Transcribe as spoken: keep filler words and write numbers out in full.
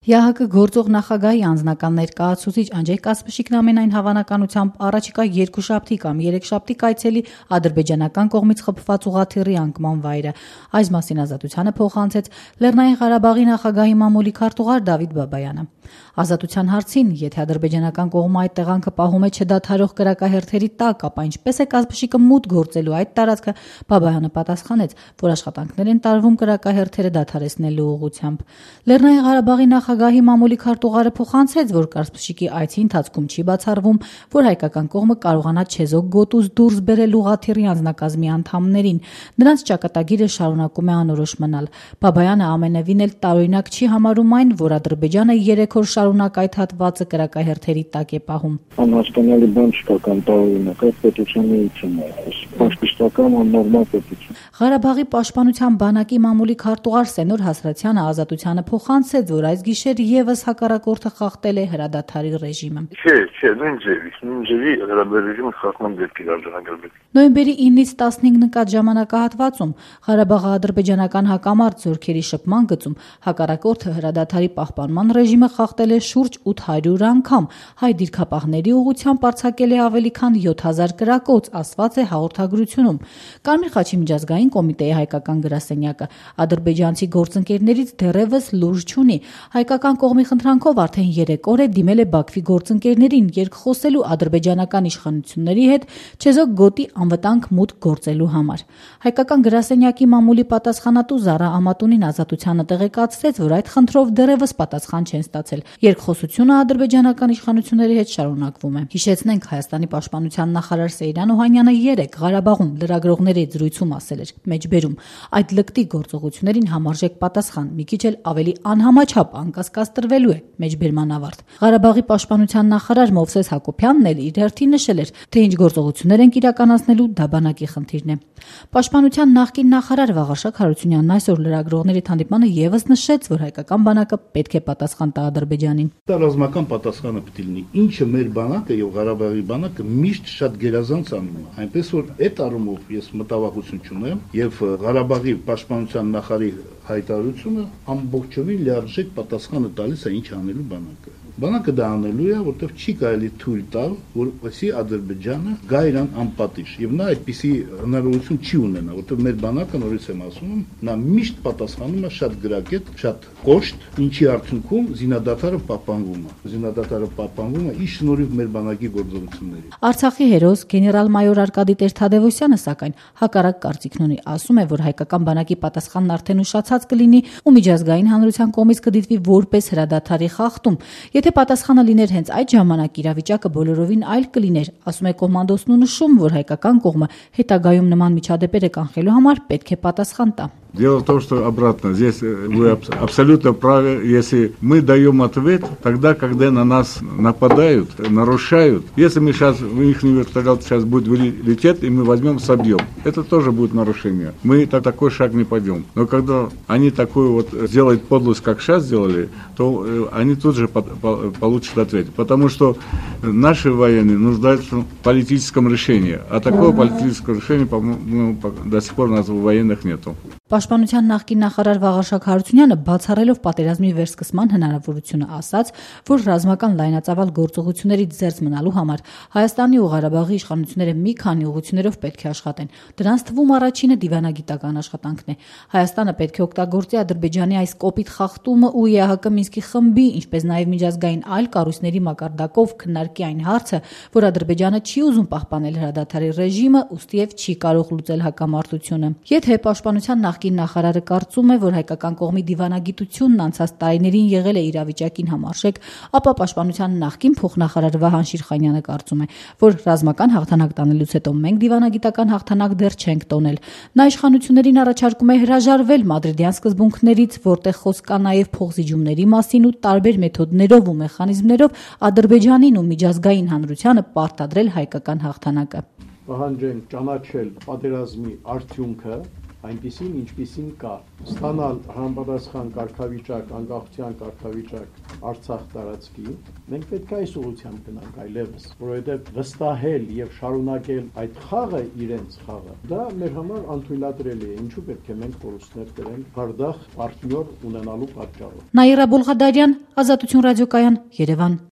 ՀՀԿ գործող նախագահի անձնական ներկայացուցիչ Անջեյ Կասպշիկն ամենայն հավանականությամբ առաջիկա երկուշաբթի կամ երեքշաբթի կայցելի ադրբեջանական կողմից խփված ուղղաթիռի անկման վայրը։ Այս մասին Ազատությանը փոխանցեց Լեռնային Ղարաբաղի նախագահի մամուլի քարտուղար Դավիթ Բաբայանը։ Ազատության հարցին, եթե ադրբեջանական կողմը այդ տեղանքը պահում է չդադարող կրակահերթերի տակ, ապա ինչպես է Կասպշիկը մուտք գործելու այդ տարածքը, Բաբայանը պատասխանեց, որ աշխատանքներ են տարվում կրակահերթերը դադարեցնելու ուղղությամբ։ Լեռնային Ղարաբաղի նախագահի մամուլի քարտուղարը փոխանցեց, որ Կասպշիկի այցի ընթացքում չի բացառվում, որ հայկական կողմը կարողանա չեզոք գոտուց դուրս բերել ուղղաթիռի անձնակազմի անդամներին։ Նրանց ճակատագիրը շարունակում է անորոշ մնալ։ Բաբայանը ամենևին էլ տարօրինակ չի համարում այն, որ Ադրբեջանը երեք օր շարունակ այդ հատվածը կրակահերթերի տակ է պահում։ Անհասկանալի բան չկա կամ տարօրինակ, այդ պետության էություն է, ֆաշիստական աննորմալ պետություն։ Ղարաբաղի պաշտպանության բանակի մամուլի քարտուղար Սենոր Հասրաթյանը Ազատությանը փոխանցեց, որ այս գիշեր եւս հակառակորդը խախտել է հրադադարի ռեժիմը։ Չէ, չէ, նույն ձևի, նույն ձևի հրադադարի ռեժիմը խախտման դեպքի արձանագրվել։ Նոյեմբերի ինից տասնհինգ նկատ ժամանակահատվածում Ղարաբաղի ադրբեջանական հակամարտ զորքերի շփման գծում հակառակորդը հրադադարի պահպանման ռեժիմը խախտել է շուրջ ութ հարյուր անգամ, հայ դիրքապահների ուղղությամբ արձակել է ավելի քան յոթ հազար կրակոց, ասված է հաղորդագրությունում։ Կարմիր խաչի միջազգային կոմիտեի հայկական գրասենյակը ադրբեջանցի գործընկերներից դեռևս լուրջ չունի։ Հայկական կողմի խնդրանքով արդեն երեք օր է դիմել է Բաքվի գործընկերներին երկխոսելու ադրբեջանական իշխանությունների հետ չեզոք գոտի անվտանգ մուտք գործելու համար։ Հայկական գրասենյակի մամուլի պատասխանատու Զարա Ամատունին Ազատությանը տեղեկացրեց, որ այդ խնդրով դեռևս պատասխան չեն ստացել։ Երկխոսությունը ադրբեջանական իշխանությունների հետ շարունակվում է։ Հիշեցնենք, Հայաստանի պաշտպանության նախարար Սեյրան Օհանյանը երեկ Ղարաբաղում լրագրողների զրույցում ասել էր. մեջբերում այդ լկտի գործողություններին համարժեք պատասխան մի քիչ էլ ավելի անհամաչափ անկասկած տրվելու է, մեջբերման ավարտ։ Ղարաբաղի պաշտպանության նախարար Մովսես Հակոբյանն էլ իր հերթին նշել էր, թե ինչ գործողություններ ենք իրականացնելու, դա բանակի խնդիրն է։ Պաշտպանության նախկին նախարար Վաղարշակ Հարությունյանն այսօր լրագրողների հանդիպմանը եւս նշեց, որ հայկական բանակը պետք է պատասխան տա Ադրբեջանին։ Դա ռազմական պատասխանը պետք է լինի, ինչը մեր բանակը եւ Ղարաբաղի բանակը միշտ շատ գերազանց անում է, այնպես որ այդ առումով ես մտավախություն չունեմ եւ Ղարաբաղի պաշտպանության նախարարի հայտարարությունը ամբողջովին լիարժեք պատասխանը տալիս է ինչ անելու բանակը։ Բանակը դա անելու է, որտեղ չի կարելի թույլ տալ, որպեսզի Ադրբեջանը գա իրան անպատիժ եւ նա այդպիսի հնարավորություն չի ունենա, որտեղ մեր բանակը, նորից եմ ասում, նա միշտ պատասխանում է շատ գրագետ, շատ կոշտ, ինչի արդյունքում զինադատարը պահպանվում է։ Զինադատարը պահպանվում է ի շնորհիվ մեր բանակի գործողությունների։ Արցախի հերոս գեներալ-մայոր Արկադի Տեր-Թադևոսյանը սակայն հակառակ կարծիքն ունի, ասում է, որ հայկական բանակի պատասխանն արդեն ուշացած կլինի ու միջազգային հանրության կողմից կդիտվի որպես հրադադարի խախտում։ Եթե պատասխանը լիներ հենց այդ ժամանակ, իրավիճակը բոլորովին այլ կլիներ, ասում է կոմանդոսն ու նշում, որ հայկական կողմը հետագայում նման միջադեպերը կանխելու համար պետք է պատասխան տա։ Дело в том, что обратно, здесь вы абсолютно правы, если мы даем ответ, тогда, когда на нас нападают, нарушают, если мы сейчас, их вертолет сейчас будет лететь, и мы возьмем, собьем, это тоже будет нарушение. Мы на такой шаг не пойдем. Но когда они такую вот сделают подлость, как сейчас сделали, то они тут же получат ответ. Потому что наши военные нуждаются в политическом решении, а такого политического решения, по-моему, до сих пор у нас военных нету. Պաշտպանության նախկին նախարար Վաղարշակ Հարությունյանը բացառելով պատերազմի վերսկսման հնարավորությունը ասաց, որ ռազմական լայնածավալ գործողություններից զերծ մնալու համար Հայաստանի ու Ղարաբաղի իշխանությունները մի քանի ուղղություններով պետք է աշխատեն։ Դրանց թվում առաջինը դիվանագիտական աշխատանքն է։ Հայաստանը պետք է օգտագործի Ադրբեջանի այս կոպիտ խախտումը ու ԵԱՀԿ Մինսկի խմբի, ինչպես նաև միջազգային այլ կառույցների մակարդակով քննարկի այն հարցը, որ Ադրբեջանը չի ուզում պահպանել հրադադարի ռեժիմը, ուստիև չի կարող լուծել հակամարտությունը։ Եթե պաշտպանության նախկին նախարարը կարծում է, որ հայկական կողմի դիվանագիտությունն անցած տարիներին եղել է իրավիճակին համարժեք, ապա պաշտպանության նախկին փոխնախարար Վահան Շիրխանյանը կարծում է, որ ռազմական հաղթանակ տանելուց հետո մենք դիվանագիտական հաղթանակ դեռ չենք տոնել։ Նա իշխանություններին առաջարկում է հրաժարվել մադրիդյան սկզբունքներից, որտեղ խոսք կա նաև փոխզիջումների մասին ու տարբեր մեթոդներով ու մեխանիզմներով Ադրբեջանին ու միջազգային հանրությանը պարտադրել հայկական հաղթանակը։ Պահանջենք ճանաչել պատերազմի արդյունքը այնպիսին, ինչպիսին կա։ Ստանալ համապատասխան կարգավիճակ, անկախության կարգավիճակ Արցախ տարածքի, մենք պետք է այս ուղղությամբ գնանք այլևս, որովհետև վստահել եւ շարունակել այդ խաղը իրենց խաղը, դա մեր համար անթույլատրելի է, ինչու պետք է մենք կորուստներ կրենք հարդախ պարտնյոր ունենալու պատճառով։ Նաիրա Բոլղադարյան, Ազատություն ռադիոկայան, Երևան։